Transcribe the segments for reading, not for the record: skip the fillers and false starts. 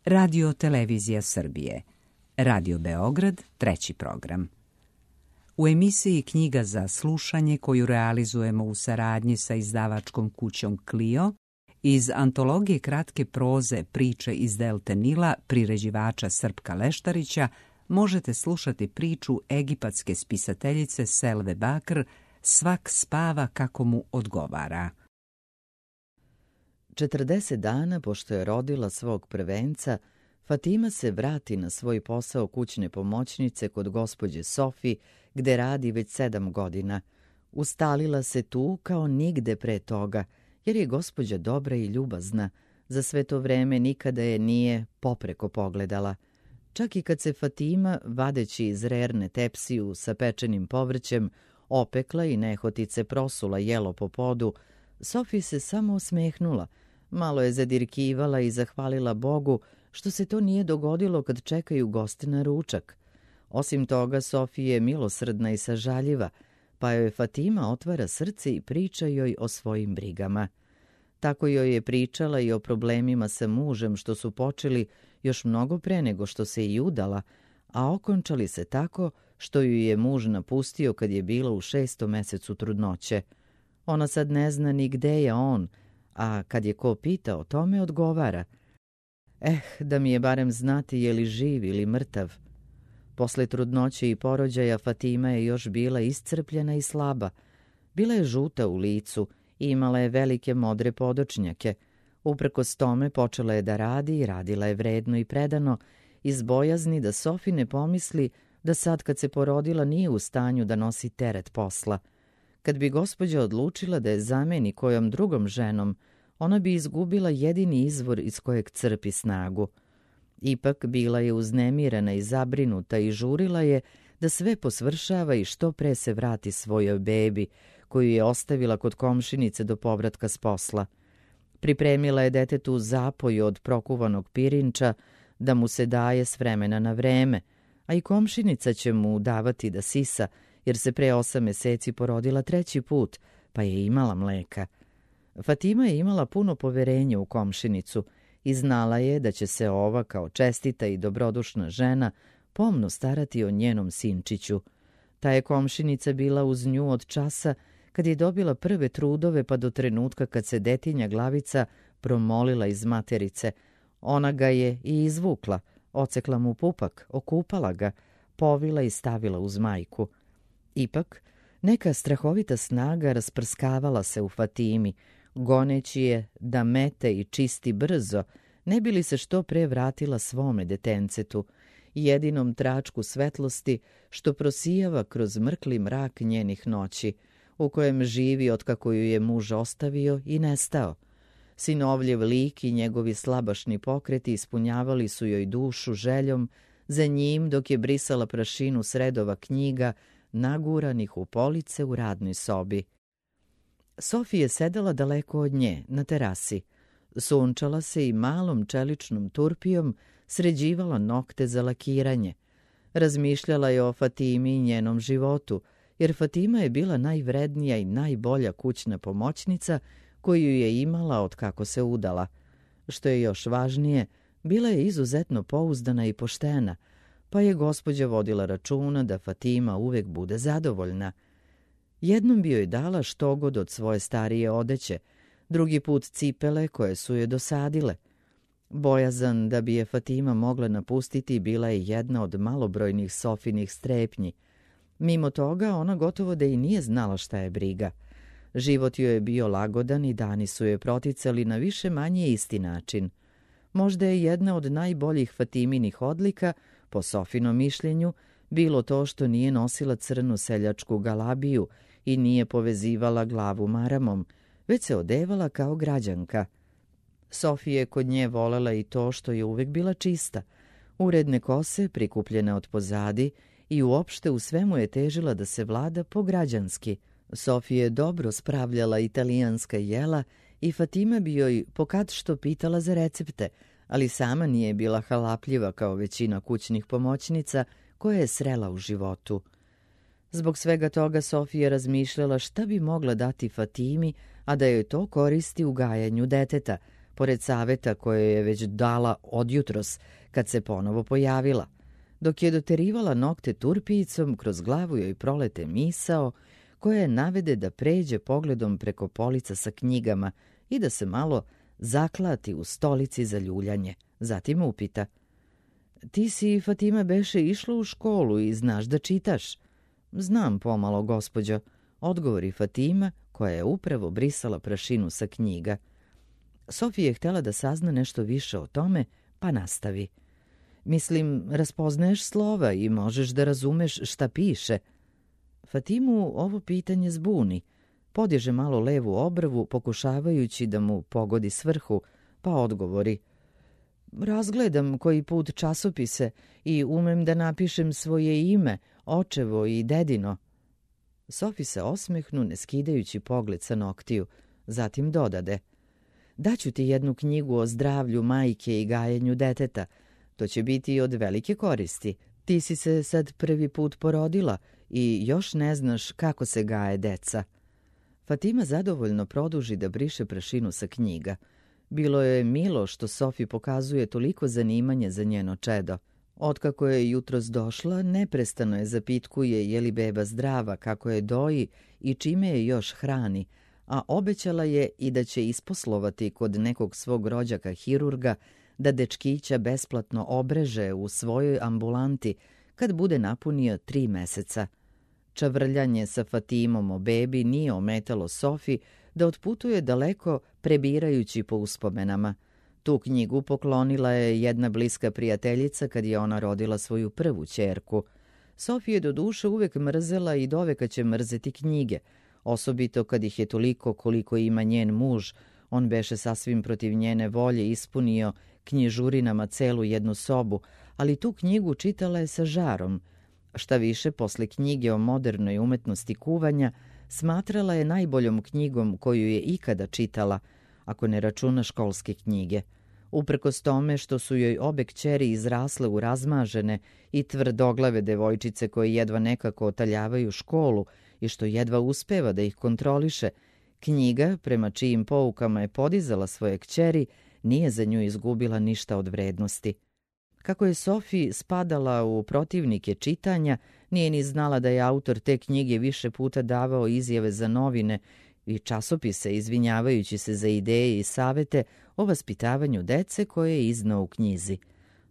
Radio Televizija Srbije, Radio Beograd, 3. program. U emisiji Knjiga za slušanje, koju realizujemo u saradnji sa izdavačkom kućom Clio, iz antologije kratke proze Priče iz Delte Nila priređivača Srpka Leštarića, možete slušati priču egipatske spisateljice Selve Bakr Svak spava kako mu odgovara. 40 dana pošto je rodila svog prvenca, Fatima se vrati na svoj posao kućne pomoćnice kod gospođe Sofi, gde radi već 7 godina. Ustalila se tu kao nigde pre toga, jer je gospođa dobra i ljubazna. Za sve to vreme nikada je nije popreko pogledala. Čak i kad se Fatima, vadeći iz rerne tepsiju sa pečenim povrćem, opekla i nehotice prosula jelo po podu, Sofi se samo osmehnula, malo je zadirkivala i zahvalila Bogu što se to nije dogodilo kad čekaju goste na ručak. Osim toga, Sofi je milosrdna i sažaljiva, pa joj Fatima otvara srce i priča joj o svojim brigama. Tako joj je pričala i o problemima sa mužem što su počeli još mnogo pre nego što se i udala, a okončali se tako što ju je muž napustio kad je bila u 6. mesecu trudnoće. Ona sad ne zna ni gde je on, a kad je ko pita o tome odgovara: da mi je barem znati je li živ ili mrtav. Posle trudnoće i porođaja Fatima je još bila iscrpljena i slaba. Bila je žuta u licu i imala je velike modre podočnjake. Uprkos tome počela je da radi i radila je vredno i predano, iz bojazni da Sofi ne pomisli da sad kad se porodila nije u stanju da nosi teret posla. Kad bi gospođa odlučila da je zameni kojom drugom ženom, ona bi izgubila jedini izvor iz kojeg crpi snagu. Ipak bila je uznemirena i zabrinuta i žurila je da sve posvršava i što pre se vrati svojoj bebi, koju je ostavila kod komšinice do povratka s posla. Pripremila je detetu zapoju od prokuvanog pirinča da mu se daje s vremena na vreme, a i komšinica će mu davati da sisa, jer se pre 8 meseci porodila 3. put, pa je imala mleka. Fatima je imala puno poverenja u komšinicu i znala je da će se ova, kao čestita i dobrodušna žena, pomno starati o njenom sinčiću. Ta je komšinica bila uz nju od časa kad je dobila prve trudove pa do trenutka kad se detinja glavica promolila iz materice. Ona ga je i izvukla, ocekla mu pupak, okupala ga, povila i stavila uz majku. Ipak, neka strahovita snaga rasprskavala se u Fatimi, goneći je da mete i čisti brzo, ne bi li se što pre vratila svome detencetu, jedinom tračku svetlosti što prosijava kroz mrkli mrak njenih noći, u kojem živi otkako ju je muž ostavio i nestao. Sinovljev lik i njegovi slabašni pokreti ispunjavali su joj dušu željom za njim dok je brisala prašinu s redova knjiga naguranih u police u radnoj sobi. Sofi je sedela daleko od nje, na terasi. Sunčala se i malom čeličnom turpijom sređivala nokte za lakiranje. Razmišljala je o Fatimi i njenom životu, jer Fatima je bila najvrednija i najbolja kućna pomoćnica koju je imala od kako se udala. Što je još važnije, bila je izuzetno pouzdana i poštena, pa je gospođa vodila računa da Fatima uvek bude zadovoljna. Jednom bi joj dala štogod od svoje starije odeće, drugi put cipele koje su joj dosadile. Bojazan da bi je Fatima mogla napustiti bila je jedna od malobrojnih Sofinih strepnji. Mimo toga, ona gotovo da i nije znala šta je briga. Život joj je bio lagodan i dani su joj proticali na više manje isti način. Možda je jedna od najboljih Fatiminih odlika, po Sofinom mišljenju, bilo to što nije nosila crnu seljačku galabiju i nije povezivala glavu maramom, već se odevala kao građanka. Sofija je kod nje volela i to što je uvek bila čista, uredne kose prikupljene od pozadi i uopšte u svemu je težila da se vlada pograđanski. Sofija je dobro spravljala italijanska jela i Fatima bi joj pokad što pitala za recepte, ali sama nije bila halapljiva kao većina kućnih pomoćnica koje je srela u životu. Zbog svega toga Sofija je razmišljala šta bi mogla dati Fatimi, a da joj to koristi u gajanju deteta, pored saveta koje je već dala odjutros kad se ponovo pojavila. Dok je doterivala nokte turpijicom, kroz glavu joj prolete misao koja je navede da pređe pogledom preko polica sa knjigama i da se malo zaklati u stolici za ljuljanje. Zatim upita: "Ti si, Fatima, beše išla u školu i znaš da čitaš?" "Znam pomalo, gospođo," odgovori Fatima, koja je upravo brisala prašinu sa knjiga. Sofija je htjela da sazna nešto više o tome, pa nastavi: "Mislim, raspoznaješ slova i možeš da razumeš šta piše." Fatimu ovo pitanje zbuni. Podiže malo levu obrvu, pokušavajući da mu pogodi svrhu, pa odgovori: "Razgledam koji put časopise i umem da napišem svoje ime, očevo i dedino." Sofi se osmehnu, ne skidajući pogled sa noktiju. Zatim dodade: "Daću ti jednu knjigu o zdravlju majke i gajenju deteta. To će biti od velike koristi. Ti si se sad prvi put porodila i još ne znaš kako se gaje deca." Fatima zadovoljno produži da briše prašinu sa knjiga. Bilo je milo što Sofi pokazuje toliko zanimanje za njeno čedo. Otkako je jutros došla, neprestano je zapitkuje je li beba zdrava, kako je doji i čime je još hrani, a obećala je i da će isposlovati kod nekog svog rođaka hirurga da dečkića besplatno obreže u svojoj ambulanti kad bude napunio 3 meseca. Čavrljanje sa Fatimom o bebi nije ometalo Sofi da otputuje daleko, prebirajući po uspomenama. Tu knjigu poklonila je jedna bliska prijateljica kad je ona rodila svoju prvu ćerku. Sofi je do duše uvek mrzela i doveka će mrzeti knjige, osobito kad ih je toliko koliko ima njen muž. On beše sasvim protiv njene volje ispunio knjižurinama celu jednu sobu, ali tu knjigu čitala je sa žarom. Šta više, posle knjige o modernoj umetnosti kuvanja, smatrala je najboljom knjigom koju je ikada čitala, ako ne računa školske knjige. Uprkos tome što su joj obe kćeri izrasle u razmažene i tvrdoglave devojčice koje jedva nekako otaljavaju školu i što jedva uspeva da ih kontroliše, knjiga, prema čijim poukama je podizala svoje kćeri, nije za nju izgubila ništa od vrednosti. Kako je Sofi spadala u protivnike čitanja, nije ni znala da je autor te knjige više puta davao izjave za novine i časopise, izvinjavajući se za ideje i savete o vaspitavanju dece koje je iznao u knjizi.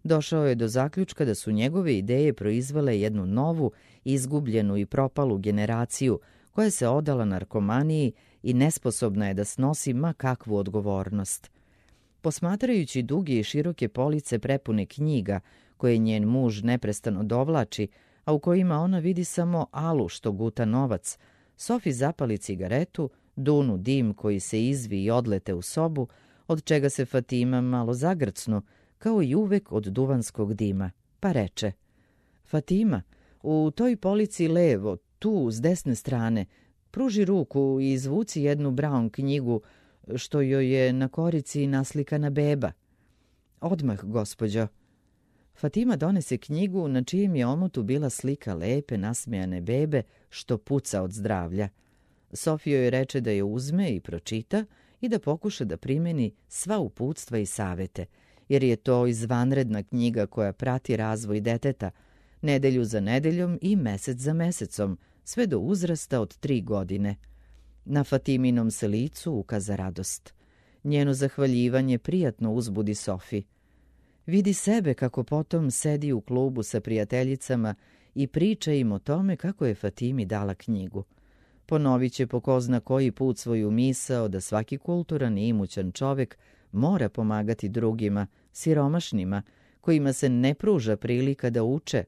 Došao je do zaključka da su njegove ideje proizvele jednu novu, izgubljenu i propalu generaciju koja se odala narkomaniji i nesposobna je da snosi ma kakvu odgovornost. Posmatrajući duge i široke police prepune knjiga koje njen muž neprestano dovlači, a u kojima ona vidi samo Alu što guta novac, Sofi zapali cigaretu, dunu dim koji se izvi i odlete u sobu, od čega se Fatima malo zagrcnu, kao i uvek od duvanskog dima, pa reče: "Fatima, u toj polici levo, tu s desne strane, pruži ruku i izvuci jednu Brown knjigu što joj je na korici naslikana beba." "Odmah, gospođo." Fatima donese knjigu na čijem je omotu bila slika lepe, nasmejane bebe što puca od zdravlja. Sofija joj reče da je uzme i pročita i da pokuša da primeni sva uputstva i savete, jer je to izvanredna knjiga koja prati razvoj deteta, nedelju za nedeljom i mesec za mesecom, sve do uzrasta od 3 godine. Na Fatiminom se licu ukaza radost. Njeno zahvaljivanje prijatno uzbudi Sofi. Vidi sebe kako potom sedi u klubu sa prijateljicama i priča im o tome kako je Fatimi dala knjigu. Ponovit će po ko zna koji put svoju misao da svaki kulturan i imućan čovek mora pomagati drugima, siromašnima, kojima se ne pruža prilika da uče,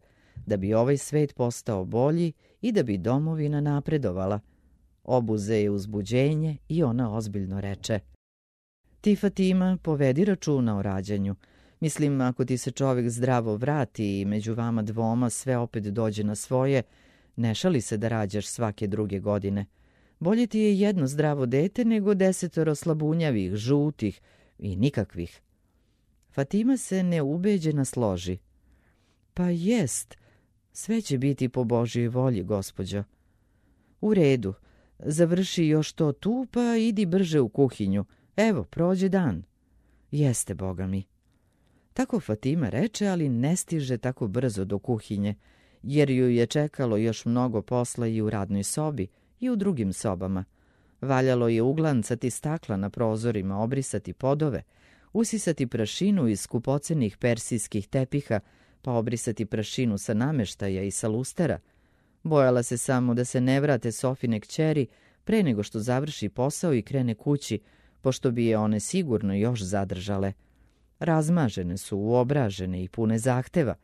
da bi ovaj svet postao bolji i da bi domovina napredovala. Obuze je uzbuđenje i ona ozbiljno reče: "Ti, Fatima, povedi računa o rađanju. Mislim, ako ti se čovek zdravo vrati i među vama dvoma sve opet dođe na svoje, ne šali se da rađaš svake 2 godine. Bolje ti je jedno zdravo dete nego 10 slabunjavih, žutih i nikakvih." Fatima se neubeđena složi. "Pa jest, sve će biti po Božjoj volji, gospođo." "U redu, završi još to tu, pa idi brže u kuhinju. Evo, prođe dan." Jeste, Boga mi. Tako Fatima reče, ali ne stiže tako brzo do kuhinje, jer ju je čekalo još mnogo posla i u radnoj sobi i u drugim sobama. Valjalo je uglancati stakla na prozorima, obrisati podove, usisati prašinu iz skupocenih persijskih tepiha, pa obrisati prašinu sa nameštaja i sa lustera. Bojala se samo da se ne vrate Sofine kćeri pre nego što završi posao i krene kući, pošto bi je one sigurno još zadržale. Razmažene su, uobražene i pune zahteva.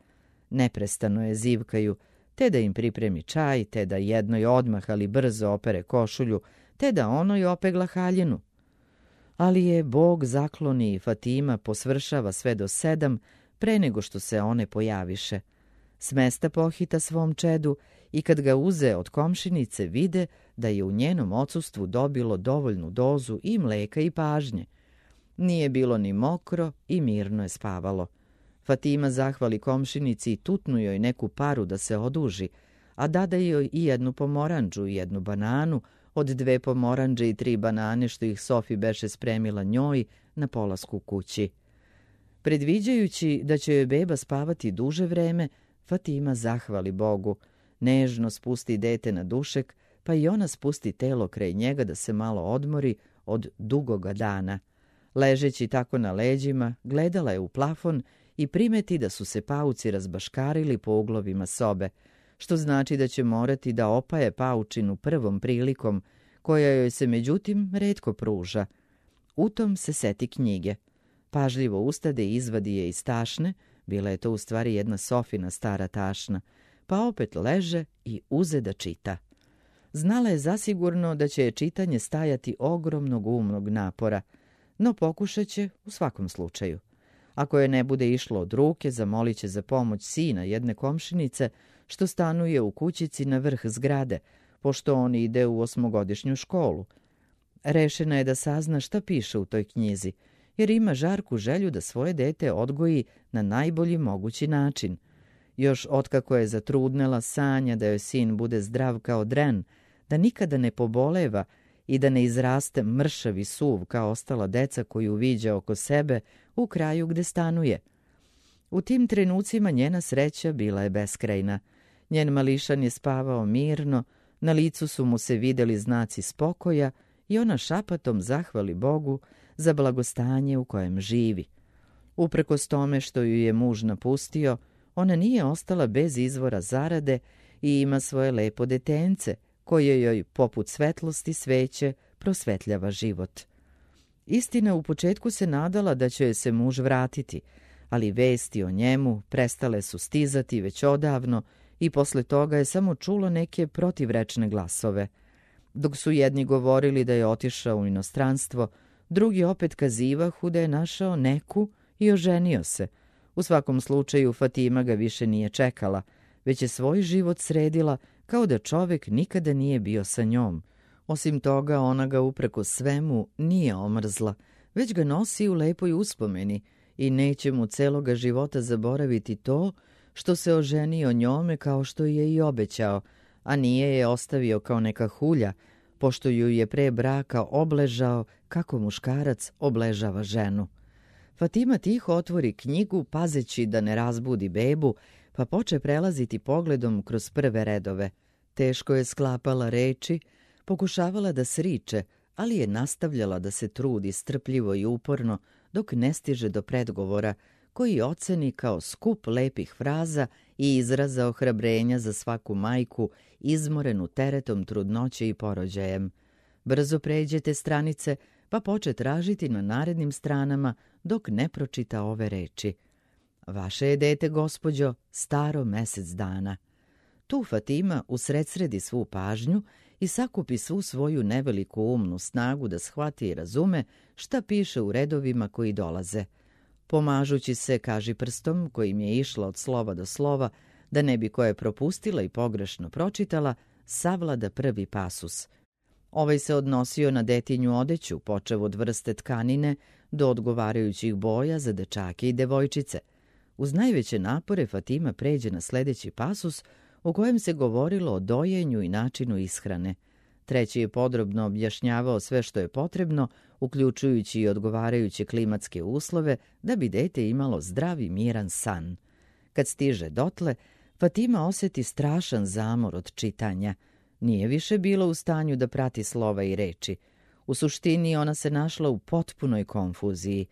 Neprestano je zivkaju, te da im pripremi čaj, te da jednoj odmah, ali brzo opere košulju, te da onoj opegla haljinu. Ali je Bog zakloni i Fatima posvršava sve do 7 pre nego što se one pojaviše. S mesta pohita svom čedu i kad ga uze od komšinice vide da je u njenom odsustvu dobilo dovoljnu dozu i mleka i pažnje. Nije bilo ni mokro i mirno je spavalo. Fatima zahvali komšinici i tutnu joj neku paru da se oduži, a dada joj i jednu pomorandžu i jednu bananu od 2 pomorandže i 3 banane što ih Sofi beše spremila njoj na polasku kući. Predviđajući da će joj beba spavati duže vreme, Fatima zahvali Bogu, nežno spusti dete na dušek, pa i ona spusti telo kraj njega da se malo odmori od dugoga dana. Ležeći tako na leđima, gledala je u plafon i primeti da su se pauci razbaškarili po uglovima sobe, što znači da će morati da opaje paučinu prvom prilikom, koja joj se međutim retko pruža. U tom se seti knjige. Pažljivo ustade i izvadi je iz tašne, bila je to u stvari jedna Sofina stara tašna, pa opet leže i uze da čita. Znala je zasigurno da će je čitanje stajati ogromnog umnog napora, no pokušat će u svakom slučaju. Ako je ne bude išlo od ruke, zamolit će za pomoć sina jedne komšinice što stanuje u kućici na vrh zgrade, pošto on ide u 8-godišnju školu. Rešena je da sazna šta piše u toj knjizi, jer ima žarku želju da svoje dete odgoji na najbolji mogući način. Još otkako je zatrudnela, sanja da joj sin bude zdrav kao dren, da nikada ne poboleva i da ne izraste mršav i suv kao ostala deca koju viđa oko sebe u kraju gde stanuje. U tim trenucima njena sreća bila je beskrajna. Njen mališan je spavao mirno, na licu su mu se videli znaci spokoja i ona šapatom zahvali Bogu za blagostanje u kojem živi. Uprkos tome što ju je muž napustio, ona nije ostala bez izvora zarade i ima svoje lepo detence, koje joj, poput svetlosti sveće, prosvetljava život. Istina, u početku se nadala da će joj se muž vratiti, ali vesti o njemu prestale su stizati već odavno i posle toga je samo čulo neke protivrečne glasove. Dok su jedni govorili da je otišao u inostranstvo, drugi opet kazivahu da je našao neku i oženio se. U svakom slučaju Fatima ga više nije čekala, već je svoj život sredila kao da čovek nikada nije bio sa njom. Osim toga, ona ga upreko svemu nije omrzla, već ga nosi u lepoj uspomeni i neće mu celoga života zaboraviti to što se oženio njome kao što je i obećao, a nije je ostavio kao neka hulja, pošto ju je pre braka obležao kako muškarac obležava ženu. Fatima tiho otvori knjigu, pazeći da ne razbudi bebu, pa poče prelaziti pogledom kroz prve redove. Teško je sklapala reči, pokušavala da sriče, ali je nastavljala da se trudi strpljivo i uporno dok ne stiže do predgovora, koji oceni kao skup lepih fraza i izraza ohrabrenja za svaku majku izmorenu teretom trudnoće i porođajem. Brzo pređete stranice, pa poče tražiti na narednim stranama dok ne pročita ove reči. Vaše je dete, gospođo, staro mesec dana. Tu Fatima usredsredi svu pažnju i sakupi svu svoju neveliku umnu snagu da shvati i razume šta piše u redovima koji dolaze. Pomažući se kažiprstom kojim je išla od slova do slova, da ne bi koje propustila i pogrešno pročitala, savlada prvi pasus. Ovaj se odnosio na detinju odeću, počev od vrste tkanine do odgovarajućih boja za dečake i devojčice. Uz najveće napore Fatima pređe na sledeći pasus u kojem se govorilo o dojenju i načinu ishrane. Treći je podrobno objašnjavao sve što je potrebno uključujući i odgovarajuće klimatske uslove, da bi dete imalo zdrav i miran san. Kad stiže dotle, Fatima osjeti strašan zamor od čitanja. Nije više bila u stanju da prati slova i reči. U suštini ona se našla u potpunoj konfuziji.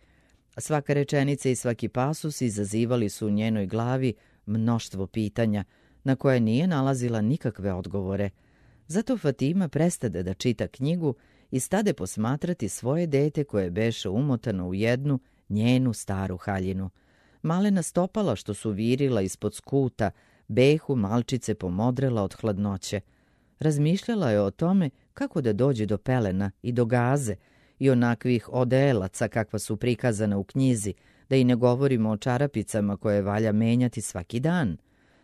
Svaka rečenica i svaki pasus izazivali su u njenoj glavi mnoštvo pitanja, na koje nije nalazila nikakve odgovore. Zato Fatima prestade da čita knjigu i stade posmatrati svoje dete koje beše umotano u jednu njenu staru haljinu. Malena stopala što su virila ispod skuta, behu malčice pomodrela od hladnoće. Razmišljala je o tome kako da dođe do pelena i do gaze i onakvih odelaca kakva su prikazana u knjizi, da i ne govorimo o čarapicama koje valja menjati svaki dan.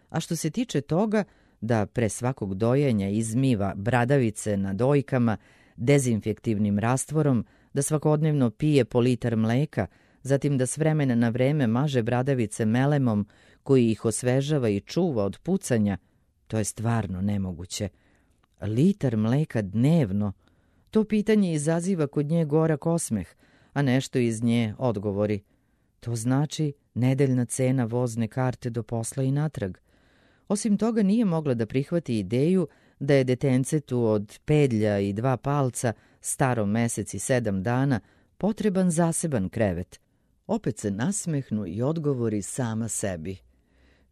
A što se tiče toga da pre svakog dojenja izmiva bradavice na dojkama dezinfektivnim rastvorom, da svakodnevno pije po litar mleka, zatim da s vremena na vreme maže bradavice melemom koji ih osvežava i čuva od pucanja, to je stvarno nemoguće. Litar mleka dnevno, to pitanje izaziva kod nje gorak osmeh, a nešto iz nje odgovori. To znači nedeljna cena vozne karte do posla i natrag. Osim toga nije mogla da prihvati ideju da je detencetu od pedlja i 2 palca, starom mesec i 7 dana, potreban zaseban krevet. Opet se nasmehnu i odgovori sama sebi.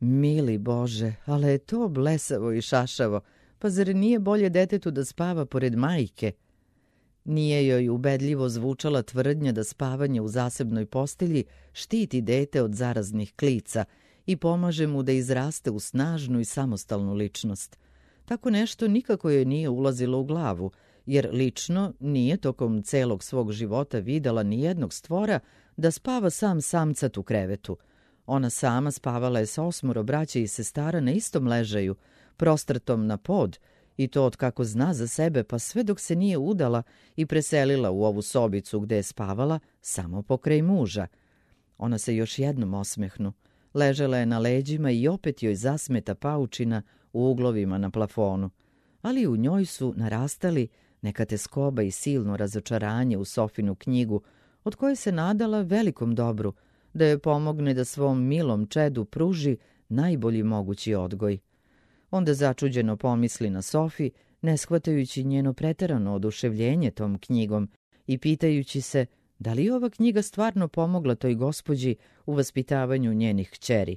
Mili Bože, ali je to blesavo i šašavo, pa zar nije bolje detetu da spava pored majke? Nije joj ubedljivo zvučala tvrdnja da spavanje u zasebnoj postelji štiti dete od zaraznih klica i pomaže mu da izraste u snažnu i samostalnu ličnost. Tako nešto nikako joj nije ulazilo u glavu, jer lično nije tokom celog svog života videla ni jednog stvora da spava sam samcat u krevetu. Ona sama spavala je sa 8 braće i sestara na istom ležaju, prostrtom na pod, i to od kako zna za sebe, pa sve dok se nije udala i preselila u ovu sobicu gde je spavala samo pokraj muža. Ona se još jednom osmehnu. Ležela je na leđima i opet joj zasmeta paučina u uglovima na plafonu. Ali u njoj su narastali neka teskoba i silno razočaranje u Sofinu knjigu, od koje se nadala velikom dobru, da joj pomogne da svom milom čedu pruži najbolji mogući odgoj. Onda začuđeno pomisli na Sofi, ne shvatajući njeno preterano oduševljenje tom knjigom i pitajući se da li je ova knjiga stvarno pomogla toj gospođi u vaspitavanju njenih kćeri.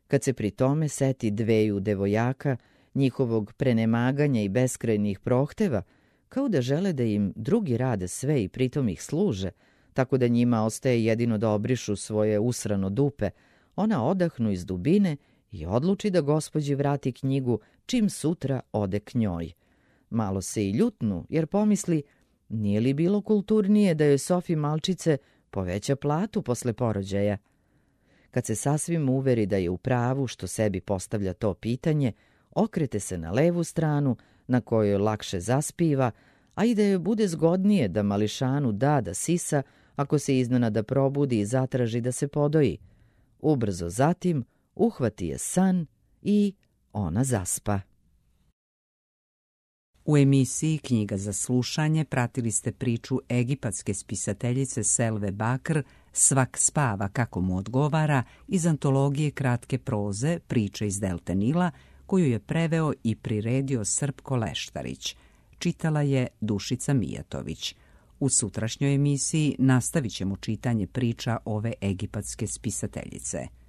Kad se pri tome seti 2 devojaka, njihovog prenemaganja i beskrajnih prohteva, kao da žele da im drugi rade sve i pritom ih služe, tako da njima ostaje jedino da obrišu svoje usrano dupe, ona odahnu iz dubine i odluči da gospođi vrati knjigu čim sutra ode k njoj. Malo se i ljutnu, jer pomisli, nije li bilo kulturnije da joj Sofi malčice poveća platu posle porođaja? Kad se sasvim uveri da je u pravu što sebi postavlja to pitanje, okrete se na levu stranu, na kojoj lakše zaspiva, a i da joj bude zgodnije da mališanu da sisa ako se iznenada probudi i zatraži da se podoji. Ubrzo zatim uhvati je san i ona zaspa. U emisiji Knjiga za slušanje pratili ste priču egipatske spisateljice Selve Bakr Svak spava kako mu odgovara iz antologije kratke proze Priče iz Delte Nila, koju je preveo i priredio Srpko Leštarić. Čitala je Dušica Mijatović. U sutrašnjoj emisiji nastavit ćemo čitanje priča ove egipatske spisateljice.